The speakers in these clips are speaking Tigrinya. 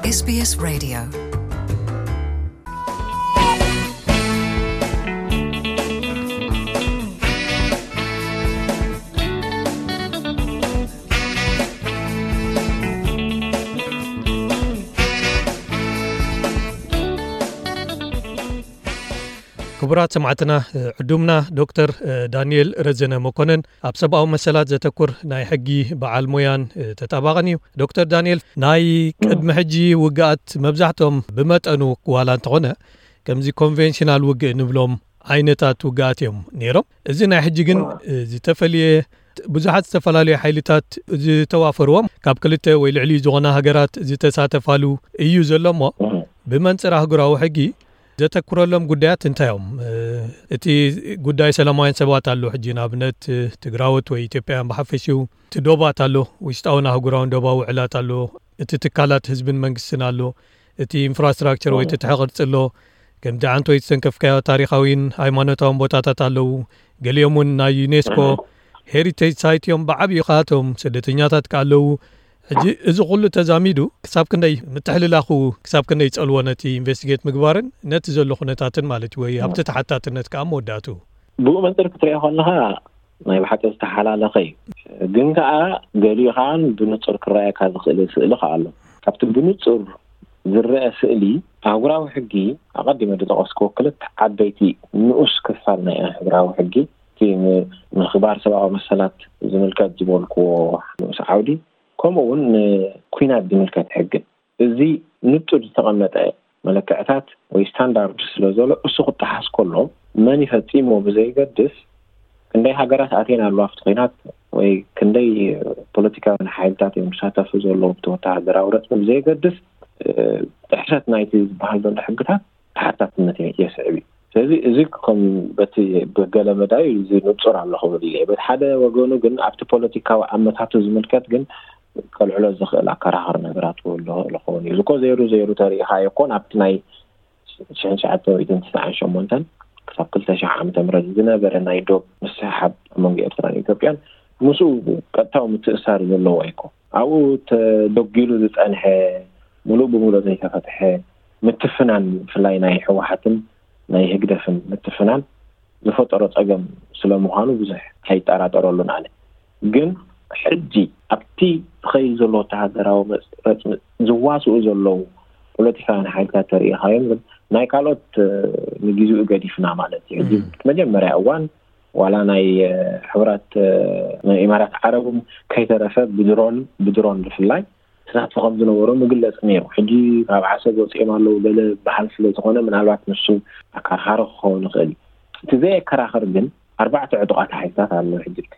SBS Radio. ክቡራት ሰማዕትና፣ ዕዱምና ዶክተር ዳንኤል ረዘነ መኮነን ኣብ ሰብኣዊ መሰላት ዘተኩር ናይ ሕጊ በዓል ሞያን ተጣባቕን እዩ። ዶክተር ዳንኤል፣ ናይ ቅድሚ ሕጂ ውግኣት መብዛሕትኦም ብመጠኑ ዋላ እንተኾነ ከምዚ ኮንቬንሽናል ውግእ ንብሎም ዓይነታት ውግኣት እዮም ነይሮም። እዚ ናይ ሕጂ ግን ዝተፈልየ፣ ብዙሓት ዝተፈላለዩ ሓይልታት ዝተዋፈርዎም ካብ ክልተ ወይ ልዕሊ ዝኾና ሃገራት ዝተሳተፋሉ እዩ ዘሎ እሞ፣ ብመንጽር ኣህጉራዊ ሕጊ ዘተኩረሎም ጉዳያት እንታይ እዮም? እቲ ጉዳይ ሰላማውያን ሰባት ኣሎ። ሕጂ ንኣብነት ትግራዎት ወይ ኢትዮጵያውያን ብሓፈሽኡ፣ እቲ ዶባት ኣሎ፣ ውሽጣውን ኣህጉራውን ዶባዊ ውዕላት ኣሎ፣ እቲ ትካላት ህዝብን መንግስትን ኣሎ፣ እቲ ኢንፍራስትራክቸር ወይ ትትሐ ቅርጺ ኣሎ፣ ከምቲ ዓንቶ ዝተንከፍካዮ ታሪኻዊን ሃይማኖታውን ቦታታት ኣለዉ። ገሊኦም እውን ናይ ዩኔስኮ ሄሪቴጅ ሳይት እዮም። ብዓብዩ ከኣቶም ስደተኛታት ከ ኣለዉ። ሕጂ እዚ ኩሉ ተዛሚዱ ክሳብ ክንደይ ምትሕልላኹ፣ ክሳብ ክንደይ ይጸልዎ ነቲ ኢንቨስቲጌት ምግባርን ነቲ ዘሎ ኩነታትን ማለት እዩ፣ ወይ ኣብቲ ተሓታትነት ከኣ መወዳእቱ? ብኡ መንጽር ክትሪኦ ከለኻ ናይ ብሓቂ ዝተሓላለኸ እዩ። ግን ከኣ ገሊኡ ከኣ ብንጹር ክረኣየካ ዝኽእል ስእሊ ከኣ ኣሎ። ካብቲ ብንጹር ዝረአ ስእሊ፣ ኣህጉራዊ ሕጊ፣ ኣቐዲመ ዝጠቐስክዎ ክልተ ዓበይቲ ንኡስ ክፋል ናይ ኣህጉራዊ ሕጊ፣ እቲ ም-፣ ምኽባር ሰብኣዊ መሰላት ዝምልከት ዝበልክዎ ንኡስ ዓውዲ፣ ከምኡ እውን ንኲናት ዝምልከት ሕግን፣ እዚ ንጹር ዝተቐመጠ መለክዕታት ወይ ስታንዳርድ ስለ ዘሎ፣ እሱ ክጠሓስ ከሎ መን ይፈጺሞ ብዘይገድስ፣ ክንደይ ሃገራት ኣትየን ኣለዋ ኣብቲ ኲናት ወይ ክንደይ ፖለቲካውያን ሓይልታት እዮም ዝሳተፉ ዘለዉ ኣብቲ ወተሃደራዊ ረጽሚ ብዘየገድስ፣ እ፣ ጥሕሰት ናይቲ ዝበሃል ዘሎ ሕግታት ተሓታትነት የ-፣ የስዕብ እዩ። ስለዚ እዚ ከም በቲ ብገለ መዳይ እዚ ንጹር ኣሎ ክብል ኢለ። በቲ ሓደ ወገኑ ግን ኣብቲ ፖለቲካዊ ኣመታቱ ዝምልከት ግን ከልዕሎ ዝኽእል ኣከራኻሪ ነገራት ክህሉ ይኽእል ይኸውን እዩ። እዚ እኮ ዘይሩ ዘይሩ ተሪኢኻ ኣይኮን፣ ኣብቲ ናይ ሽሕን ትሽዓተ ሚእትን ትስዓን ሸሞንተን ክሳብ ክልተ ሽሕ ዓመተ ምህረት ዝነበረ ናይ ዶብ ምስሕሓብ ኣብ መንጎ ኤርትራን ኢትዮጵያን ምስኡ ቀጥታዊ ምትእሳር ዘለዎ ኣይኮ። ኣብኡ ተደጒሉ ዝጸንሐ፣ ምሉእ ብምሉእ ዘይተፈትሐ ምትፍናን፣ ብፍላይ ናይ ህወሓትን ናይ ህግደፍን ምትፍናን ዝፈጠሮ ጸገም ስለ ምዃኑ ብዙሕ ኣይጠራጠረሉን ኣነ። ግን ሕጂ ኣብቲ ዝኸይድ ዘሎ ወተሃደራዊ መጽ-፣ ረጽሚ ዝዋስኡ ዘለዉ ፖለቲካውያን ሓይልታት ተርእኻዮም ግን ናይ ካልኦት፣ እ፣ ንግዜኡ ገዲፍና ማለት እዩ። ሕጂ መጀመርያ እዋን ዋላ ናይ፣ እ፣ ሕብራት፣ እ፣ ናይ ኢማራት ዓረብ እውን ከይተረፈ ብድሮን፣ ብድሮን ብፍላይ ተሳትፎ ከም ዝነበሮ ምግለጽ ነይሩ። ሕጂ ካብ ዓሰብ ወጺኦም ኣለዉ ገለ በሃል ስለ ዝኾነ ምናልባት ንሱ ኣከራኻሪ ክኸውን ይኽእል እዩ። እቲ ዘየከራኽር ግን ኣርባዕተ ዕጡቓት ሓይልታት ኣሎ ሕጂ እቲ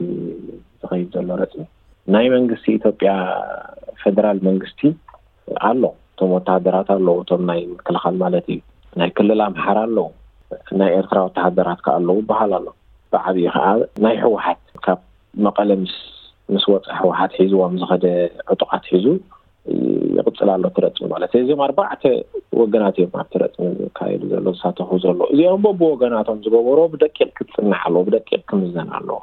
ዝኸይድ ዘሎ ረጽሚ። ናይ መንግስቲ ኢትዮጵያ ፌደራል መንግስቲ ኣሎ፣ እቶም ወተሃደራት ኣለዉ፣ እቶም ናይ ምክልኻል ማለት እዩ። ናይ ክልል ኣምሓራ ኣለዉ፣ ናይ ኤርትራ ወተሃደራት ከኣ ኣለዉ ይበሃል ኣሎ። ብዓብዩ ከኣ ናይ ህወሓት ካብ መቐለ ምስ፣ ምስ ወፀ ህወሓት ሒዝዎም ዝኸደ ዕጡቓት ሒዙ ይቕፅል ኣሎ እቲ ረፅሚ ማለት እዩ። እዚኦም ኣርባዕተ ወገናት እዮም ኣብቲ ረፅሚ ዝካየዱ ዘሎ፣ ዝሳተፉ ዘሎ። እዚኦም በብወገናቶም ዝገበሮ ብደቂቕ ክትፅናዕ ኣለዎ፣ ብደቂቕ ክምዘን ኣለዎ።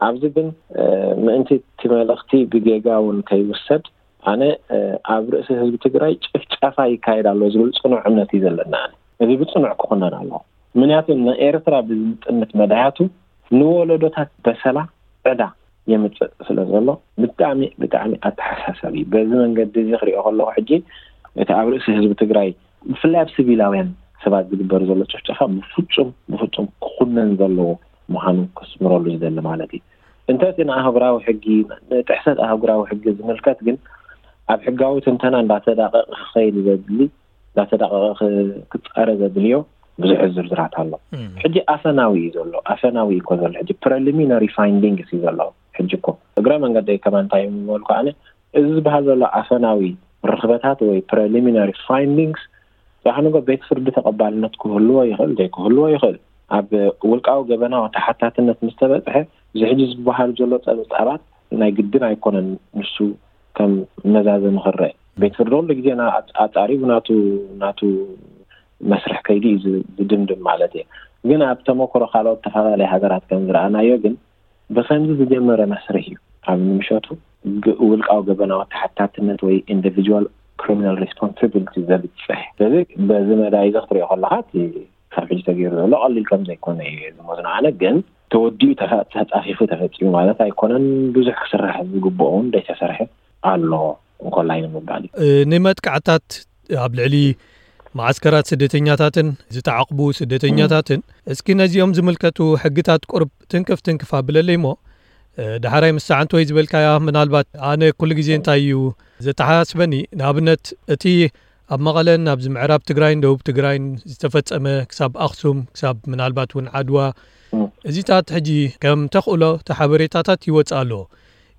ኣብዚ ግን፣ እ፣ ምእንቲ እቲ መልእኽቲ ብጌጋ እውን ከይውሰድ፣ ኣነ፣ እ፣ ኣብ ርእሲ ህዝቢ ትግራይ ጭፍጨፋ ይካየድ ኣሎ ዝብል ፅኑዕ እምነት እዩ ዘለና። ኣነ እዚ ብፅኑዕ ክኹነን ኣለዎ። ምክንያቱ ንኤርትራ ብዝጥምት መዳያቱ ንወለዶታት በሰላ ዕዳ የምፅእ ስለ ዘሎ ብጣዕሚ፣ ብጣዕሚ ኣተሓሳሳቢ እዩ። በዚ መንገዲ እዚ ክሪኦ ከለኹ ሕጂ እቲ ኣብ ርእሲ ህዝቢ ትግራይ ብፍላይ ኣብ ሲቪላውያን ሰባት ዝግበር ዘሎ ጭፍጨፋ ብፍጹም፣ ብፍጹም ክኹነን ዘለዎ ምዃኑ ከስምረሉ ዝደሊ ማለት እዩ። እንተ እቲ ንኣህጉራዊ ሕጊ፣ ንጥሕሰት ኣህጉራዊ ሕጊ ዝምልከት ግን ኣብ ሕጋዊ ትንተና እንዳተዳቐቐ ክኸይድ ዘድሊ፣ እንዳተዳቐቐ ክ-፣ ክጻረ ዘድልዮ ብዙሕ ዝርዝራት ኣሎ። ሕጂ ኣፈናዊ እዩ ዘሎ፣ ኣፈናዊ እዩ እኮ ዘሎ። ሕጂ ፕሪሊሚናሪ ፋይንዲንግስ እዩ ዘሎ። ሕጂ እኮ እግረ መንገደይ ከማን እንታይ እዩ ምበልኩ ኣነ፣ እዚ ዝበሃል ዘሎ ኣፈናዊ ርኽበታት ወይ ፕሪሊሚናሪ ፋይንዲንግስ፣ ዳሕንጎ ቤት ፍርዲ ተቐባልነት ክህልዎ ይኽእል፣ ዘይክህልዎ ይኽእል። ኣብ ውልቃዊ ገበናዊ ተሓታትነት ምስ ተበጽሐ፣ እዚ ሕጂ ዝበሃል ዘሎ ጸብጻባት ናይ ግድን ኣይኮነን ንሱ ከም መዛዘሚ ክረአ። ቤት ፍርዲ ኩሉ ግዜ ና-፣ ኣጽ-፣ ኣጻሪቡ ናቱ፣ ናቱ መስርሕ ከይዲ እዩ ዝ-፣ ዝድምድም ማለት እየ። ግን ኣብ ተመክሮ ካልኦት ተፈላለየ ሃገራት ከም ዝረኣናዮ ግን ብኸምዚ ዝጀመረ መስርሕ እዩ ኣብ ንምሸቱ ግ-፣ ውልቃዊ ገበናዊ ተሓታትነት ወይ ኢንዲቪጁዋል ክሪሚናል ሪስፖንስ ክብል እቲ ዘብፅሕ። ስለዚ በዚ መዳይ እዚ ክትሪኦ ከለኻ እቲ ክሳብ ሕጂ ተገይሩ ዘሎ ቀሊል ከም ዘይኮነ እዩ ዝመዝኖ። ኣነ ግን ተወዲኡ ተፈ-፣ ተፃፊፉ ተፈፂሙ ማለት ኣይኮነን። ብዙሕ ክስራሕ ዝግብኦ እውን ዘይተሰርሐ ኣሎ እንኮላይ ንምባል እዩ። እ፣ ንመጥቃዕታት ኣብ ልዕሊ መዓስከራት ስደተኛታትን ዝተዓቕቡ ስደተኛታትን፣ እስኪ ነዚኦም ዝምልከቱ ሕግታት ቁርብ ትንክፍ ትንክፍ ኣብለለይ እሞ፣ እ፣ ዳሕራይ ምስ ሰዓንት ወይ ዝበልካያ፣ ምናልባት ኣነ ኩሉ ግዜ እንታይ እዩ ዘተሓሳስበኒ፣ ንኣብነት እቲ ኣብ መቐለን ኣብዚ ምዕራብ ትግራይን ደቡብ ትግራይን ዝተፈጸመ ክሳብ ኣኽሱም፣ ክሳብ ምናልባት እውን ዓድዋ፣ እም። እዚታት ሕጂ ከም ተኽእሎ እቲ ሓበሬታታት ይወጽእ ኣሎ።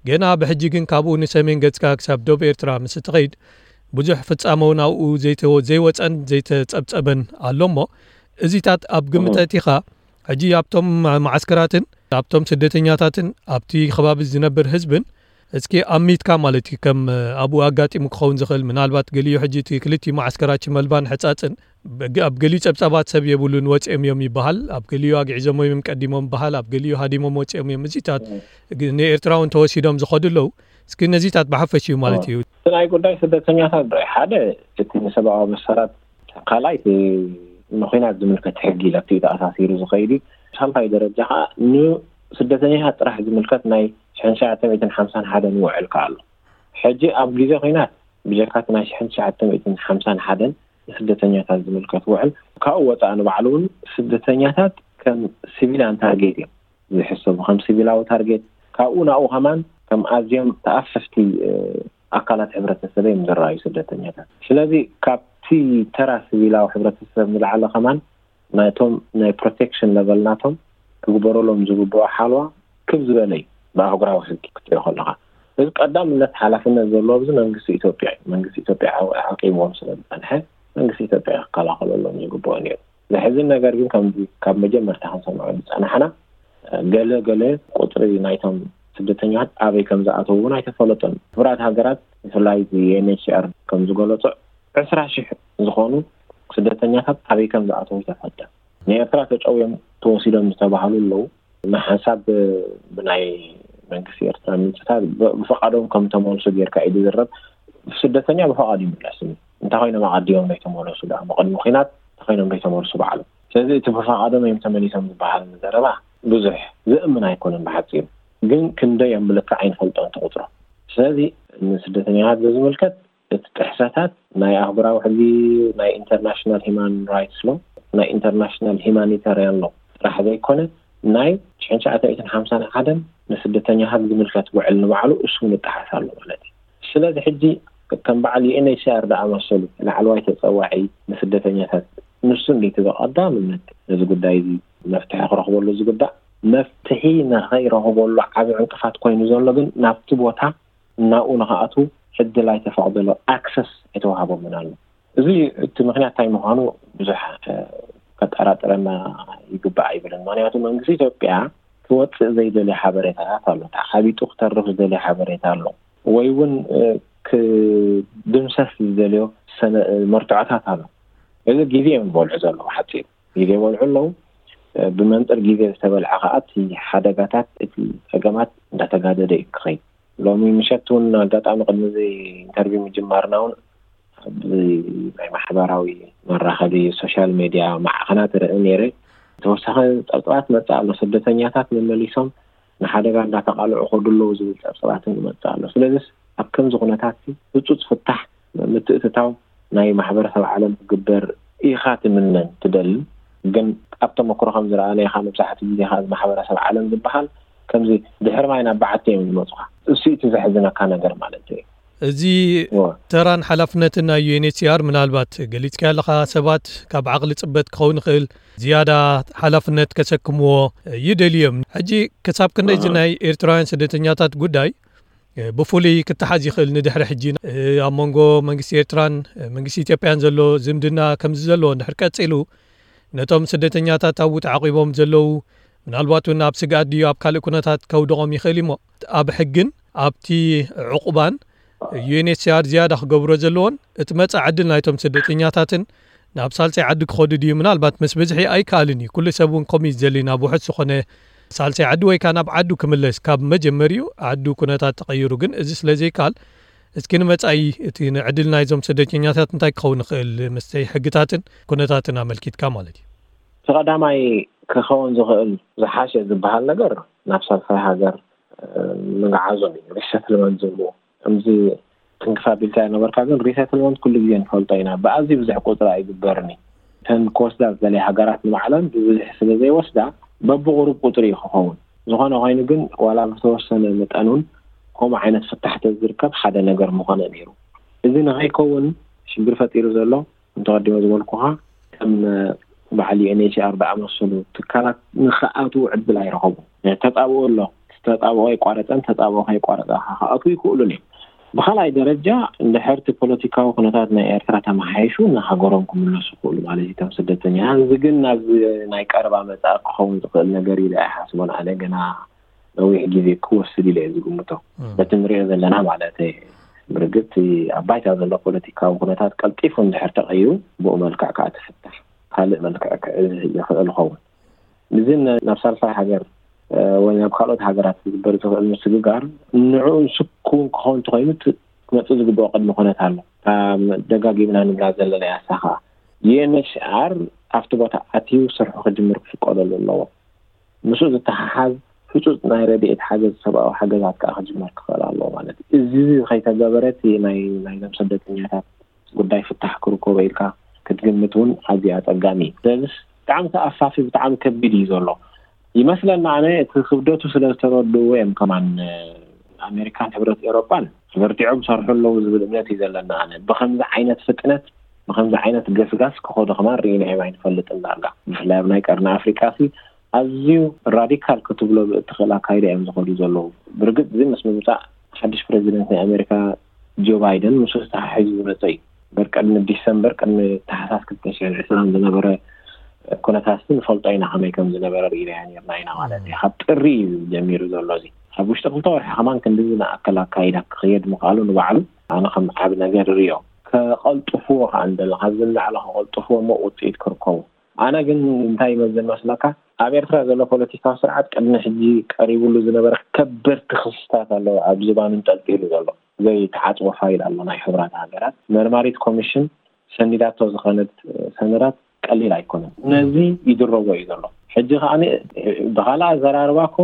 ገና ብሕጂ ግን ካብኡ ንሰሜን ገጽካ ክሳብ ደቡብ ኤርትራ ምስ እትኸይድ ብዙሕ ፍጻመ እውን ኣብኡ ዘይተ-፣ ዘይወጸን ዘይተጸብጸበን ኣሎ እሞ፣ እዚታት ኣብ ግምት እም። ኣእቲኻ፣ ሕጂ ኣብቶም መዓስከራትን ኣብቶም ስደተኛታትን ኣብቲ ከባቢ ዝነብር ህዝብን እስኪ ኣሚትካ ማለት እዩ፣ ከም ኣብኡ ኣጋጢሙ ክኸውን ዝኽእል፣ ምናልባት ገሊኡ ሕጂ እቲ ክልቲኡ መዓስከራት ሽመልባን ሕጻጽን፣ በግ-፣ ኣብ ገሊኡ ጸብጻባት ሰብ የብሉን፣ ወጺኦም እዮም ይበሃል፣ ኣብ ገሊኡ ኣግዒዞም እዮም ቀዲሞም ይበሃል፣ ኣብ ገሊኡ ሃዲሞም ወጺኦም እዮም። እዚታት እም። ግ-፣ ንኤርትራ እውን ተወሲዶም ዝኸዱ ኣለዉ። እስኪ ነዚታት ብሓፈሽኡ ማለት እም። እዩ። እቲ ናይ ጉዳይ ስደተኛታት ዶ ሓደ እቲ ንሰብኣዊ መሰላት፣ ካልኣይ እቲ ንኹናት ዝምልከት ሕጊ ለክዩ ተኣሳሲሩ ዝኸይድ እዩ። ሳልሳይ ደረጃ ከዓ ንስደተኛታት ጥራሕ ዝምልከት ናይ ሽሕን ትሽዓተ ሚእትን ሓምሳን ሓደን ውዕል ከዓ ኣሎ። ሕጂ ኣብ ግዜ ኹናት ብጀካ እቲ ናይ ሽሕን ትሽዓተ ሚእትን ሓምሳን ሓደን ንስደተኛታት ዝምልከት ውዕል፣ ካብኡ ወፃእ ንባዕሉ እውን ስደተኛታት ከም ሲቪልያን ታርጌት እዮም ዝሕሰቡ፣ ከም ሲቪላዊ ታርጌት። ካብኡ ናብኡ ከማን ከም ኣዝዮም ተኣፈፍቲ፣ እ፣ ኣካላት ሕብረተሰብ እዮም ዝረኣዩ ስደተኛታት። ስለዚ ካብቲ ተራ ሲቪላዊ ሕብረተሰብ ንላዕሊ ከማን ናይቶም ናይ ፕሮቴክሽን ለቨል ናቶም ክግበረሎም ዝግብኦ ሓልዋ ክብ ዝበለ እዩ ብኣህጉራዊ ሕጊ ክትሪኦ ከለኻ። እዚ ቀዳምነት ሓላፍነት ዘለዎ ኣብዚ መንግስቲ ኢትዮጵያ እዩ። መንግስቲ ኢትዮጵያ ዓው-፣ ዓቂብዎም ስለ ዝጸንሐ መንግስቲ ኢትዮጵያ ክከላኸለሎም ዝግብኦ ነይሩ። ዘሕዝን ነገር ግን ከምዚ ካብ መጀመርታ ክንሰምዖ ዝጸናሕና፣ ገለ ገለ ቁጽሪ ናይቶም ስደተኛታት ኣበይ ከም ዝኣተዉ እውን ኣይተፈለጦን። ሕቡራት ሃገራት ብፍላይ እዚ ዩ ኤን ኤች ሲ ኣር ከም ዝገለጾ ዕስራ ሺሕ ዝኾኑ ስደተኛታት ኣበይ ከም ዝኣተዉ ኣይተፈልጠን። ንኤርትራ ተጨውዮም ተወሲዶም ዝተባህሉ ኣለዉ። ንሓንሳብ ብ-፣ ብናይ መንግስቲ ኤርትራ ምንጭታት ብ-፣ ብፍቓዶም ከም ተመልሱ ጌርካ እዩ ዝዝረብ። ስደተኛ ብፍቓዱ ይምለስ እዩ። እንታይ ኮይኖም ኣቐዲሞም ዘይተመለሱ ደኣ? ብቕድሚ ኲናት እንታይ ኮይኖም ዘይተመልሱ ባዕሎም? ስለዚ እቲ ብፍቓዶም እዮም ተመሊሶም ዝበሃል ዘረባ ብዙሕ ዘእምን ኣይኮነን ብሓጺሩ። ግን ክንደይ እዮም ብልክዕ ኣይንፈልጦን እቲ ቁጽሮም። ስለዚ ንስደተኛታት በዝምልከት እቲ ጥሕሰታት ናይ ኣህጉራዊ ሕጊ፣ ናይ ኢንተርናሽናል ሂማን ራይትስ ሎ፣ ናይ ኢንተርናሽናል ሂማኒታርያን ሎ ጥራሕ ዘይኮነ፣ ናይ ሽሕን ትሽዓተ ሚእትን ሓምሳን ሓደን ንስደተኛታት ዝምልከት ውዕል ንባዕሉ እሱ እውን ይጠሓስ ኣሎ ማለት እዩ። ስለዚ ሕጂ ከም በዓል ዩ ኤን ኤች ሲ ኣር ዝኣመሰሉ ላዕለዋይ ተጸዋዒ ንስደተኛታት፣ ንሱ እንዴት ብቐዳምነት ነዚ ጉዳይ እዚ መፍትሒ ክረኽበሉ ዝግባእ፣ መፍትሒ ንኸይረኽበሉ ዓቢ ዕንቅፋት ኮይኑ ዘሎ ግን ናብቲ ቦታ ናብኡ ንኽኣትዉ ዕድል ኣይተፈቕደሎ፣ ኣክሰስ ኣይተዋህቦምን ኣሎ። እዚ እቲ ምኽንያት እንታይ ምዃኑ ብዙሕ፣ እ፣ ከጠራጥረና ይግባእ ኣይብልን። ምኽንያቱ መንግስቲ ኢትዮጵያ ክወፅእ ዘይደልዮ ሓበሬታታት ኣሎ፣ ተዓቢጡ ክተርፍ ዝደልዮ ሓበሬታ ኣሎ፣ ወይ እውን፣ እ፣ ክድምሰስ ዝደልዮ ሰነ-፣ መርትዖታት ኣሎ። እዚ ግዜ እዮም ዝበልዑ ዘለዉ፣ ሓፂር ግዜ ይበልዑ ኣለዉ። እ፣ ብመንፅር ግዜ ዝተበልዐ ከዓ እቲ ሓደጋታት፣ እቲ ፀገማት እንዳተጋደደ እዩ ክኸይድ። ሎሚ ምሸት እውን ኣጋጣሚ ቅድሚ እዚ ኢንተርቪው ምጅማርና እውን ኣብዚ ናይ ማሕበራዊ መራኸቢ ሶሻል ሜድያ ማዕኸናት ርኢ ነይረ። ተወሳኺ ፀብፀባት መፅእ ኣሎ። ስደተኛታት መመሊሶም ንሓደጋ እንዳተቃልዑ ከዱ ኣለዉ ዝብል ፀብፀባትን ይመፅእ ኣሎ። ስለዚስ ኣብ ከምዚ ኩነታት ህፁፅ ፍታሕ ምትእትታው ናይ ማሕበረሰብ ዓለም ክግበር ኢኻ ትምነን ትደልን። ግን ኣብ ተመክሮ ከም ዝረኣናዮ፣ ካብ መብዛሕትኡ ግዜ ካብ ማሕበረሰብ ዓለም ዝበሃል ከምዚ ድሕሪ ማይ ናብ በዓቲ እዮም ዝመፁኻ። እሱ እቲ ዘሕዝነካ ነገር ማለት እዩ። እዚ እወ። ተራን ሓላፍነትን ናይ ዩ ኤን ኤች ሲ ኣር ምናልባት ገሊጽካ ኣለኻ፣ ሰባት ካብ ዓቕሊ ጽበት ክኸውን ይኽእል፣ ዝያዳ ሓላፍነት ከሰክምዎ ይደልዩ እዮም። ሕጂ ክሳብ ክንደይ እዚ እ። ናይ ኤርትራውያን ስደተኛታት ጉዳይ እ፣ ብፍሉይ ክተሓዝ ይኽእል ንድሕሪ ሕጂ፣ እ፣ ኣብ መንጎ መንግስቲ ኤርትራን፣ እ፣ መንግስቲ ኢትዮጵያን ዘሎ ዝምድና ከምዚ ዘለዎ እንድሕር ቀጺሉ፣ ነቶም ስደተኛታት ኣብኡ ተዓቂቦም ዘለዉ፣ ምናልባት እውን ኣብ ስግኣት ድዩ ኣብ ካልእ ኩነታት ከውድቖም ይኽእል እሞ፣ ኣብ ሕግን ኣብቲ ዕቑባን ዩ ኤን ኤች ሲ ኣር ዝያዳ ክገብሮ ዘለዎን፣ እቲ መጻኢ ዕድል ናይቶም ስደተኛታትን ናብ ሳልሳይ ዓዲ ክኸዱ ድዩ? ምናልባት ምስ ብዝሒ ኣይከኣልን እዩ። ኩሉ ሰብ እውን ከምኡ እዩ ዝደሊ፣ ናብ ውሑስ ዝኾነ ሳልሳይ ዓዲ ወይ ከኣ ናብ ዓዱ ክምለስ፣ ካብ መጀመሪኡ ዓዱ ኩነታት ተቐይሩ። ግን እዚ ስለ ዘይከኣል፣ እስኪ ንመጻኢ እቲ ንዕድል ናይዞም ስደተኛታት እንታይ ክኸውን ይኽእል፣ ምስተይ ሕግታትን ኩነታትን ኣመልኪትካ ማለት እዩ? እቲ ቀዳማይ ክኸውን ዝኽእል ዝሓሸ ዝበሃል ነገር ናብ ሳልሳይ ሃገር ምግዓዞም እዩ፣ ሪሰትልመንት ዝብሉ። ከምዚ ትንክፍ ኣቢልካ ነበርካ፣ ግን ሪሰትልመንት ኩሉ ግዜ ንፈልጦ ኢና፣ ብኣዝዩ ብዙሕ ቁፅሪ ኣይግበርን እዩ። እተን ክወስዳ ዝደለያ ሃገራት ንባዕለን ብብዝሒ ስለ ዘይወስዳ በብቑሩብ ቁፅሪ እዩ ክኸውን። ዝኾነ ኮይኑ ግን ዋላ ብተወሰነ መጠን እውን ከምኡ ዓይነት ፍታሕ ተዝርከብ ሓደ ነገር ምኾነ ነይሩ። እዚ ንኸይከውን ሽግር ፈጢሩ ዘሎ እንተቐዲሞ ዝበልኩኻ ከም በዓል ዩ ኤን ኤች ሲ ኣር ዝኣመሰሉ ትካላት ንኽኣትዉ ዕድል ኣይረኸቡ። ተጣብኦ ኣሎ። ተጣብኦ ኣይቋረፀን፣ ተጣብኦ ከይቋረፀ ከዓ ክኣትዉ ይኽእሉን እዮም። ብኻልኣይ ደረጃ እንድሕር እቲ ፖለቲካዊ ኩነታት ናይ ኤርትራ ተመሓይሹ ንሃገሮም ክምለሱ ይኽእሉ ማለት እዩ እቶም ስደተኛ። እዚ ግን ናብ ናይ ቀረባ መጻኢ ክኸውን ዝኽእል ነገር ኢለ ኣይሓስቦን። ኣነ ገና ነዊሕ ግዜ ክወስድ ኢለ እየ ዝግምቶ። በቲ ንሪኦ ዘለና ማለት ብርግጽ ኣብ ባይታ ዘሎ ፖለቲካዊ ኩነታት ቀልጢፉ እንድሕር ተቐይሩ ብኡ መልክዕ ከዓ ትፍታሕ ካልእ መልክዕ ክዕዝ ይኽእል ይኸውን። እዚ ናብ ሳልሳይ ሃገር ወይ ናብ ካልኦት ሃገራት ክግበር ዝኽእል ምስግጋር ንዕኡ ስኩን ክኸውን እንተኾይኑ ክመፅእ ዝግብኦ ቅድሚ ኩነት ኣሎ። ደጋጊምና ንብላ ዘለና ያሳ ከዓ ዩኤንኤችሲኣር ኣብቲ ቦታ ኣትዩ ስርሑ ክጅምር ክፍቀደሉ ኣለዎ። ምስኡ ዝተሓሓዝ ህፁፅ ናይ ረድኤት ሓገዝ፣ ሰብኣዊ ሓገዛት ከዓ ክጅመር ክኽእል ኣለዎ ማለት እዩ። እዚ ከይተገበረ እቲ ናይ ናይዞም ስደተኛታት ጉዳይ ፍታሕ ክርከቦ ኢልካ ክትግምት እውን ኣዝዩ ኣፀጋሚ እዩ። ስለዚስ ብጣዕሚ ተኣፋፊ፣ ብጣዕሚ ከቢድ እዩ ዘሎ ይመስለና። ኣነ እቲ ክብደቱ ስለ ዝተረድእዎ እዮም ከማን ኣሜሪካን ሕብረት ኤውሮጳን በርቲዖም ሰርሑ ኣለዉ ዝብል እምነት እዩ ዘለና። ኣነ ብከምዚ ዓይነት ፍጥነት፣ ብከምዚ ዓይነት ገስጋስ ክኸዱ ከማን ርኢናዮም ኣይንፈልጥን ዳርጋ። ብፍላይ ኣብ ናይ ቀርኒ ኣፍሪቃ ሲ ኣዝዩ ራዲካል ክትብሎ ብእትኽእል ኣካይዳ እዮም ዝኸዱ ዘለዉ። ብርግጽ እዚ ምስ ምምጻእ ሓድሽ ፕረዚደንት ናይ ኣሜሪካ ጆ ባይደን ምስ ዝተሓሒዙ ዝመጸ እዩ። በር ቅድሚ ዲሰምበር፣ ቅድሚ ታሕሳስ ክልተ ሽሕን ዕስራን ዝነበረ ኩነታት ንፈልጦ ኢና፣ ከመይ ከም ዝነበረ ርኢናዮ ነርና ኢና ማለት እዩ። ካብ ጥሪ እዩ ጀሚሩ ዘሎ እዚ። ኣብ ውሽጢ ክልተ ወርሒ ከማን ክንድዚ ንኣክል ኣካይዳ ክኽየድ ምኽኣሉ ንባዕሉ ኣነ ከም ዓቢ ነገር እርእዮ። ከቐልጥፍዎ ከኣ እንደለ ካብዚ ንላዕሊ ከቐልጥፍዎ እሞ ውጽኢት ክርከቡ። ኣነ ግን እንታይ ይመስል መስለካ፣ ኣብ ኤርትራ ዘሎ ፖለቲካዊ ስርዓት ቅድሚ ሕጂ ቀሪብሉ ዝነበረ ከበድቲ ክስታት ኣለዉ ኣብ ዝባኑ እንጠልጢሉ ዘሎ። ዘይተዓጽወ ፋይል ኣሎ ናይ ሕቡራት ሃገራት። መርማሪት ኮሚሽን ሰኒዳቶ ዝኸነት ሰነዳት ቀሊል ኣይኮነን። ነዚ ይድረቦ እዩ ዘሎ። ሕጂ ከኣ ብኻልእ ኣዘራርባ እኮ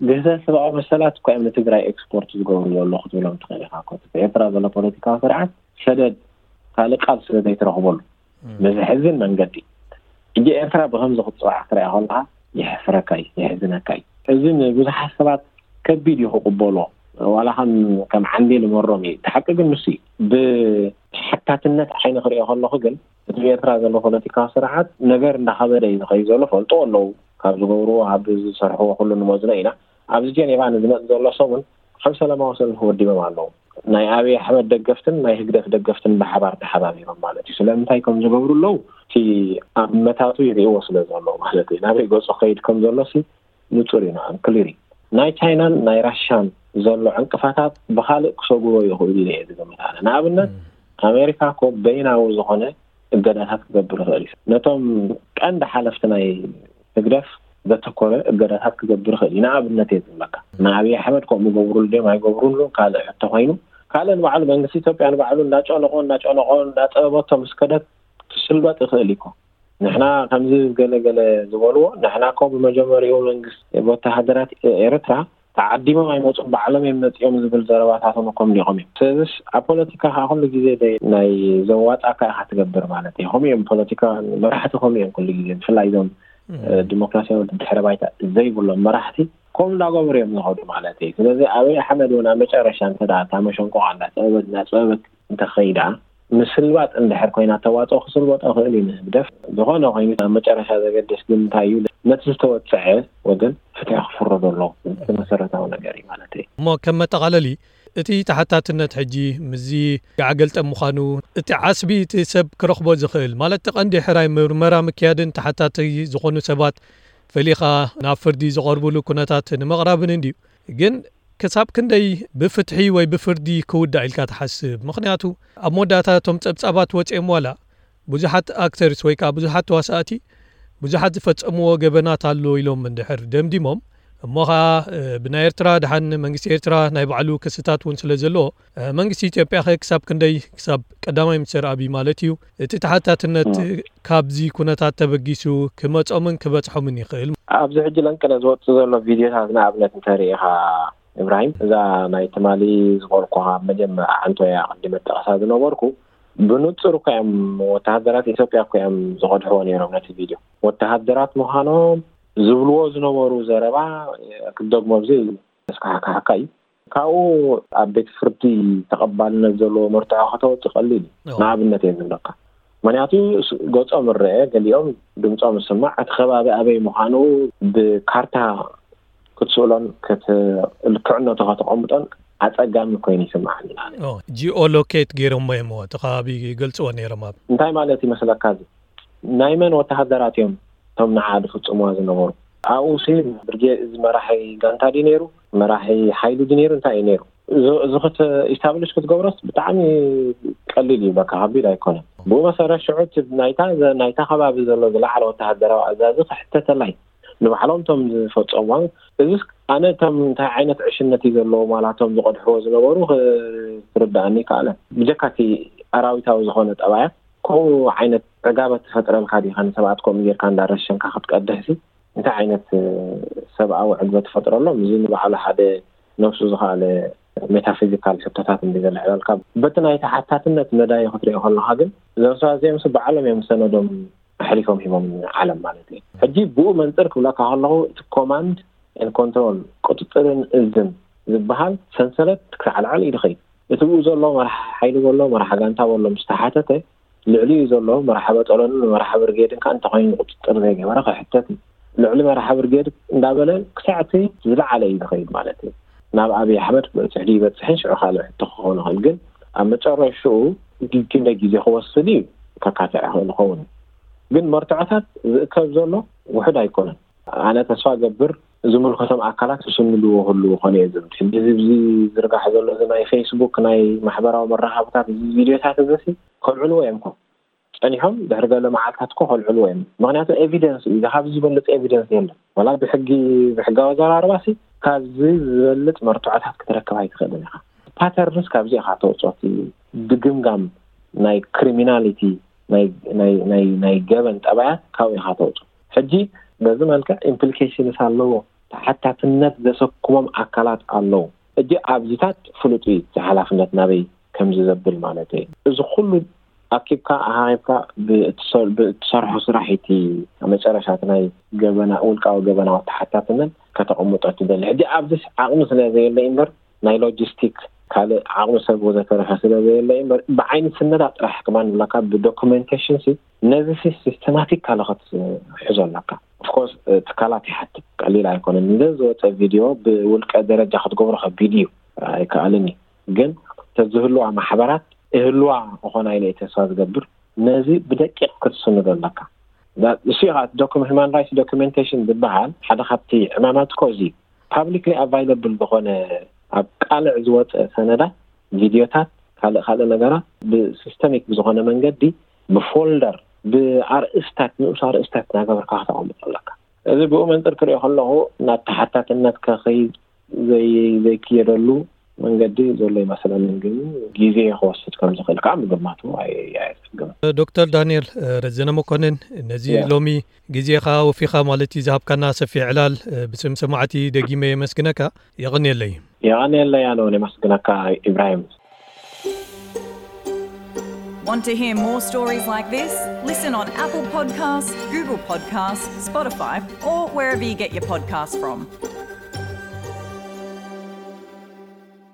ግህሰት ሰብኣዊ መሰላት እኮ እዮም ንትግራይ ኤክስፖርት ዝገብሩ ዘሎ ክትብሎም ትኽእል ኢኻ እኮ። እቲ ኤርትራ ዘሎ ፖለቲካዊ ስርዓት ሰደድ ካልእ ቃል ስለ ዘይትረኽበሉ ብዘሕዝን መንገዲ። ሕጂ ኤርትራ ብኸምዚ ክትፅዋዕ ክትሪኣ ከለኻ የሕፍረካ እዩ፣ የሕዝነካ እዩ። እዚ ንብዙሓት ሰባት ከቢድ እዩ ክቕበሎ፣ ዋላ ከም ከም ዓንዴል መሮም እዩ። እቲ ሓቂ ግን ንሱ እዩ። ብሓታትነት ዓይኒ ክሪኦ ከለኹ ግን እቲ ብኤርትራ ዘሎ ፖለቲካዊ ስርዓት ነገር እንዳኸበደ እዩ ዝኸይድ ዘሎ። ፈልጦ ኣለዉ ካብ ዝገብርዎ፣ ካብ ዝሰርሕዎ ኩሉ ንመዝኖ ኢና። ኣብዚ ጀኔቫ ንዝመጽእ ዘሎ ሰሙን ኣብ ሰላማዊ ሰልፊ ወዲቦም ኣለዉ። ናይ ኣብይ ኣሕመድ ደገፍትን ናይ ህግደፍ ደገፍትን ብሓባር ተሓባቢሮም ማለት እዩ። ስለምንታይ ከም ዝገብሩ ኣለዉ እቲ ኣብ መታቱ ይርእይዎ ስለ ዘለዉ ማለት እዩ። ናበይ ገጹ ክኸይድ ከም ዘሎ ሲ ንጹር እዩ፣ ንዓም ክሊር እዩ። ናይ ቻይናን ናይ ራሻን ዘሎ ዕንቅፋታት ብኻልእ ክሰጉሮ ይኽእሉ ኢለ እየ ዝግምት ኣነ። ንኣብነት ኣሜሪካ እኮ በይናዊ ዝኾነ እገዳታት ክገብር ይኽእል እዩ። ነቶም ቀንዲ ሓለፍቲ ናይ ህግደፍ ዘተኮረ እገዳታት ክገብር ይኽእል እዩ። ንኣብነት እየ ዝብለካ፣ ንኣብይ ኣሕመድ ከምኡ ገብሩሉ ድዮም ኣይገብሩሉ ካልእ ሕቶ ኮይኑ፣ ካልእ ንባዕሉ መንግስቲ ኢትዮጵያ ንባዕሉ እንዳጨነቆ እንዳጨነቆ እንዳጠበበቶ ምስ ከደት ክስልበጥ ይኽእል እዩ እኮ። ንሕና ከምዚ ገለ ገለ ዝበልዎ፣ ንሕና እኮ ብመጀመሪኡ መንግስቲ ወተሃደራት ኤርትራ ተዓዲሞም ኣይመጹን፣ ባዕሎም እዮም መጺኦም ዝብል ዘረባታቶም እኮ ኣምሊቖም እዮም። ስለዚስ ኣብ ፖለቲካ ከዓ ኩሉ ግዜ ናይ ዘዋጣካ ኢኻ ትገብር ማለት እዩ። ከምኡ እዮም ፖለቲካ መራሕቲ፣ ከምኡ እዮም ኩሉ ግዜ፣ ብፍላይ እዞም ዲሞክራሲያዊ ድሕረ ባይታ ዘይብሎም መራሕቲ ከምኡ እንዳገበሩ እዮም ዝኸዱ ማለት እዩ። ስለዚ ኣብይ ኣሕመድ እውን ኣብ መጨረሻ እንተ ደኣ እታ መሸንቆቕ እንዳጸበበት እንዳጸበበት እንተኸይዳ፣ ምስልባጥ እንድሕር ኮይና ተዋጽኦ ክስልበጦ ይኽእል እዩ ንህግደፍ። ዝኾነ ኮይኑ ኣብ መጨረሻ ዘገድስ ግን እንታይ እዩ፣ ነቲ ዝተወጽዐ ወገን ፍትሒ ክፍረዶ ኣለዎ። እቲ መሰረታዊ ነገር እዩ ማለት እዩ። እሞ ከም መጠቓለሊ፣ እቲ ተሓታትነት ሕጂ ምስዚ ጋዕ ገልጠም ምዃኑ፣ እቲ ዓስቢ እቲ ሰብ ክረኽቦ ዝኽእል ማለት እቲ ቀንዲ ሕራይ ምርመራ ምክያድን ተሓታቲ ዝኾኑ ሰባት ፈሊኻ ናብ ፍርዲ ዝቐርብሉ ኩነታት ንምቕራብን እንድዩ። ግን ክሳብ ክንደይ ብፍትሒ ወይ ብፍርዲ ክውዳእ ኢልካ ትሓስብ? ምኽንያቱ ኣብ መወዳእታ እቶም ጸብጻባት ወጺኦም ዋላ ብዙሓት ኣክተርስ ወይ ከዓ ብዙሓት ተዋሳእቲ ብዙሓት ዝፈጸምዎ ገበናት ኣሎ ኢሎም እንድሕር ደምዲሞም፣ እሞ ኸዓ ብናይ ኤርትራ ደሓን መንግስቲ ኤርትራ ናይ ባዕሉ ክስታት እውን ስለ ዘለዎ መንግስቲ ኢትዮጵያ ኸ ክሳብ ክንደይ ክሳብ ቀዳማይ ሚኒስትር ኣብይ ማለት እዩ እቲ ተሓታትነት ካብዚ ኩነታት ተበጊሱ ክመጾምን ክበጽሖምን ይኽእል? ኣብዚ ሕጂ ለንቅነ ዝወጽእ ዘሎ ቪድዮታት ንኣብነት እንተሪኢኻ ኢብራሂም፣ እዛ ናይ ትማሊ ዝበልኩኻ ኣብ መጀመርያ ዓንቶያ ቅድመ ጠቐሳ ዝነበርኩ ብንጹር እኮ እዮም ወተሃደራት ኢትዮጵያ እኮ እዮም ዝቐድሕዎ ነይሮም ነቲ ቪድዮ። ወተሃደራት ምዃኖም ዝብልዎ ዝነበሩ ዘረባ ክደግሞ ኣብዚ ስካሕካሕካ እዩ። ካብኡ ኣብ ቤት ፍርዲ ተቐባልነት ዘለዎ መርትዖ ከተወፅእ ቀሊል እዩ። ንኣብነት እየ ዝብለካ። ምክንያቱ ገፆም እረአ፣ ገሊኦም ድምፆም ዝስማዕ፣ እቲ ከባቢ ኣበይ ምዃኑ ብካርታ ክትስእሎን ልክዕነቱ ከተቐምጦን ኣፀጋሚ ኮይኑ ይስምዓኒ። ጂኦ ሎኬት ገይሮሞ እዮም እቲ ከባቢ ይገልፅዎ ነይሮም ኣብ እንታይ ማለት ይመስለካ? እዚ ናይ መን ወተሃደራት እዮም እቶም ንዓ ዝፍፅምዋ ዝነበሩ? ኣብኡ ሲ ብርጌድ እዚ መራሒ ጋንታ ድዩ ነይሩ? መራሒ ሓይሊ ድዩ ነይሩ? እንታይ እዩ ነይሩ? እዚ ክተ ኢስታብሊሽ ክትገብሮስ ብጣዕሚ ቀሊል እዩ። በቃ ከቢድ ኣይኮነን። ብኡ መሰረት ሽዑ ናይታ ናይታ ከባቢ ዘሎ ዝለዓለ ወተሃደራዊ ኣዛዚ ክሕተተላ እዩ። ንባዕሎም እቶም ዝፈፀምዋ እዚ ኣነ እቶም እንታይ ዓይነት ዕሽነት እዩ ዘለዎም ዋላ እቶም ዝቐድሕዎ ዝነበሩ ክርድኣኒ ይከኣለን። ብጀካ እቲ ኣራዊታዊ ዝኾነ ጠባያት ከምኡ ዓይነት ዕጋበት ትፈጥረልካ ዲኻ? ንሰብኣት ከምኡ ጌርካ እንዳረሸንካ ክትቀድሕ ሲ እንታይ ዓይነት ሰብኣዊ ዕግበት ትፈጥረሎም? እዚ ንባዕሉ ሓደ ነብሱ ዝኸኣለ ሜታፊዚካል ሕቶታት እንዲ ዘልዕለልካ። በቲ ናይ ተሓታትነት መዳይ ክትሪኦ ከለኻ ግን እዞም ሰባት እዚኦም ሲ ባዕሎም እዮም ሰነዶም ኣሕሊፎም ሂቦም ንዓለም ማለት እዩ። ሕጂ ብኡ መንፅር ክብለካ ከለኹ እቲ ኮማንድ ኤን ኮንትሮል ቁፅፅርን እዝን ዝበሃል ሰንሰለት ክሳዕ ላዕሊ እዩ ዝኸይድ። እቲ ብኡ ዘሎ መራሒ ሓይሊ በሎ መራሒ ጋንታ በሎ ምስ ተሓተተ ልዕሊኡ ዘሎ መራሒ በጠሎን መራሒ ብርጌድን ከዓ እንተኾይኑ ቁፅፅር ዘይገበረ ክሕተት እዩ። ልዕሊ መራሒ ብርጌድ እንዳበለ ክሳዕ እቲ ዝለዓለ እዩ ዝኸይድ ማለት እዩ። ናብ ኣብይ ኣሕመድ ክበፅሕ ድዩ ይበፅሕን ሽዑ ካልእ ሕቶ ክኸውን ይኽእል። ግን ኣብ መጨረሽኡ ክንደይ ግዜ ክወስድ እዩ ከካትዕ ይኽእል ይኸውን። ግን መርትዖታት ዝእከብ ዘሎ ውሑድ ኣይኮነን። ኣነ ተስፋ ገብር ዝምልከቶም ኣካላት ክስንድዎ ክህልዉ ኮነ እየ ዝብል። ሕጂ እዚ ብዚ ዝርጋሕ ዘሎ እዚ ናይ ፌስቡክ ናይ ማሕበራዊ መራኸብታት እዚ ቪድዮታት እዚ ሲ ከልዕልዎ እዮም ኮ ጸኒሖም ድሕሪ ገለ መዓልታት ኮ ከልዕልዎ እዮም። ምክንያቱ ኤቪደንስ እዩ። ካብዚ ዝበልጽ ኤቪደንስ የለን። ዋላ ብሕጊ ብሕጋዊ ኣዘራርባ ሲ ካብዚ ዝበልጽ መርትዖታት ክትረክብ ኣይትኽእልን ኢኻ። ፓተርንስ ካብዚ ኢኻ ተውጽኦ። እቲ ድግምጋም ናይ ክሪሚናሊቲ ናይ ገበን ጠባያት ካብኡ ኢኻ ተውፅኦ። ሕጂ በዚ መልክዕ ኢምፕሊኬሽንስ ኣለዎ። ተሓታትነት ዘሰክሞም ኣካላት ኣለዉ። ሕጂ ኣብዚታት ፍሉጥ እዩ፣ እቲ ሓላፍነት ናበይ ከምዚ ዘብል ማለት እዩ። እዚ ኩሉ ኣኪብካ ኣሃሂብካ ብእትሰርሖ ስራሕ እቲ መጨረሻ እቲ ናይ ገበና ውልቃዊ ገበናዊ ተሓታትነት ከተቐምጦ ትደሊ። ሕጂ ኣብዚ ዓቕሚ ስለ ዘየለ እምበር ናይ ሎጂስቲክ ካልእ ዓቕሚ ሰብ ወዘተረፈ ስለ ዘየለ እምበር ብዓይኒ ስነዳ ጥራሕ ክማን ብላካ ብዶኩሜንቴሽን ሲ ነዚ ሲ ሲስተማቲክ ካልኸት ሕዞ ኣለካ። ኦፍኮርስ ትካላት ይሓትት ቀሊል ኣይኮነን። እንደ ዝወፀ ቪድዮ ብውልቀ ደረጃ ክትገብሮ ከቢድ እዩ፣ ኣይከኣልን እዩ። ግን ተዝህልዋ ማሕበራት እህልዋ እኾና ኢለ ተስፋ ዝገብር። ነዚ ብደቂቕ ክትስንዶ ኣለካ። እሱ ኢኻ ዶክመንት ሁማን ራይትስ ዶክመንቴሽን ዝበሃል ሓደ ካብቲ ዕማማት ኮዚ ፓብሊክሊ ኣቫይለብል ዝኾነ ኣብ ቃልዕ ዝወፀ ሰነዳት፣ ቪድዮታት፣ ካልእ ካልእ ነገራት ብሲስተሚክ ብዝኾነ መንገዲ ብፎልደር ብኣርእስታት ንኡስ ኣርእስታት እናገበርካ ከተቐምጦ ኣለካ። እዚ ብኡ መንፅር ክሪኦ ከለኹ ናብ ተሓታትነት ከኸይድ ዘይክየደሉ መንገዲ ዘሎ ይመስለኒ። ግን ግዜ ክወስድ ከም ዝኽእል ከዓ ምግማቱ ኣየፀግምን። ዶክተር ዳንኤል ረዘነ መኮንን፣ ነዚ ሎሚ ግዜኻ ወፊኻ ማለት እዩ ዝሃብካና ሰፊሕ ዕላል ብስም ሰማዕቲ ደጊመ የመስግነካ። የቐንየለይ። የቐንየለይ ኣነ እውን የመስግነካ ኢብራሂም። Want to hear more stories like this? Listen on Apple Podcasts, Google Podcasts, Spotify, or wherever you get your podcasts from.